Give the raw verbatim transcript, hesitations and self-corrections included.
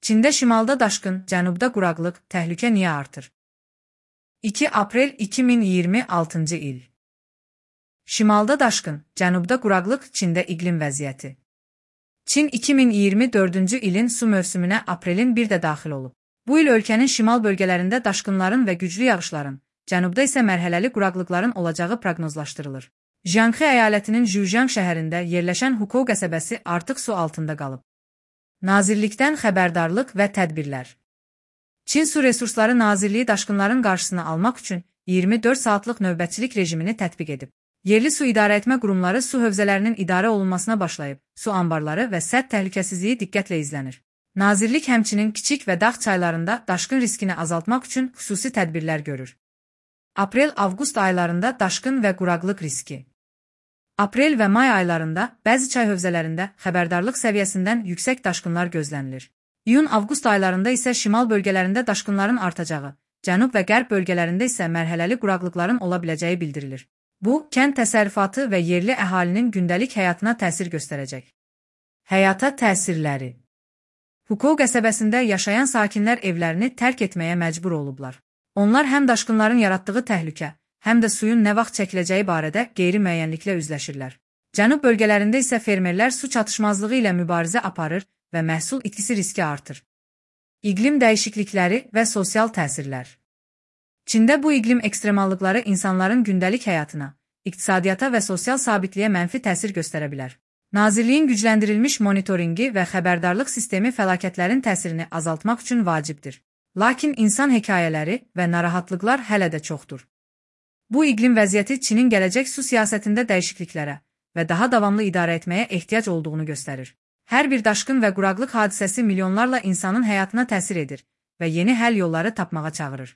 Çində şimalda daşqın, cənubda quraqlıq, təhlükə niyə artır? iki aprel iki min iyirmi altıncı il. Şimalda daşqın, cənubda quraqlıq, Çində iqlim vəziyyəti. Çin iki min iyirmi dördüncü ilin su mövsümünə aprelin bir də daxil olub. Bu il ölkənin şimal bölgələrində daşqınların və güclü yağışların, cənubda isə mərhələli quraqlıqların olacağı proqnozlaşdırılır. Jiangxi əyalətinin Zhujiang şəhərində yerləşən Hukou qəsəbəsi artıq su altında qalıb. Nazirlikdən xəbərdarlıq və tədbirlər. Çin Su Resursları Nazirliyi daşqınların qarşısını almaq üçün iyirmi dörd saatlıq növbətçilik rejimini tətbiq edib. Yerli su idarəetmə qurumları su hövzələrinin idarə olunmasına başlayıb, su anbarları və sədd təhlükəsizliyi diqqətlə izlənir. Nazirlik həmçinin kiçik və dağ çaylarında daşqın riskini azaltmaq üçün xüsusi tədbirlər görür. Aprel-avqust aylarında daşqın və quraqlıq riski. Aprel və may aylarında bəzi çay hövzələrində xəbərdarlıq səviyyəsindən yüksək daşqınlar gözlənilir. İyun-avqust aylarında isə şimal bölgələrində daşqınların artacağı, cənub və qərb bölgələrində isə mərhələli quraqlıqların ola biləcəyi bildirilir. Bu, kənd təsərrüfatı və yerli əhalinin gündəlik həyatına təsir göstərəcək. Həyata təsirləri. Hukou qəsəbəsində yaşayan sakinlər evlərini tərk etməyə məcbur olublar. Onlar həm daşqınların yaratdığı təhlükə, həm də suyun nə vaxt çəkiləcəyi barədə qeyri-müəyyənliklə üzləşirlər. Cənub bölgələrində isə fermerlər su çatışmazlığı ilə mübarizə aparır və məhsul itkisi riski artır. İqlim dəyişiklikləri və sosial təsirlər. Çində bu iqlim ekstremallıqları insanların gündəlik həyatına, iqtisadiyyata və sosial sabitliyə mənfi təsir göstərə bilər. Nazirliyin gücləndirilmiş monitoringi və xəbərdarlıq sistemi fəlakətlərin təsirini azaltmaq üçün vacibdir. Lakin insan hekayələri və narahatlıqlar hələ də çoxdur. Bu iqlim vəziyyəti Çinin gələcək su siyasətində dəyişikliklərə və daha davamlı idarə etməyə ehtiyac olduğunu göstərir. Hər bir daşqın və quraqlıq hadisəsi milyonlarla insanın həyatına təsir edir və yeni həll yolları tapmağa çağırır.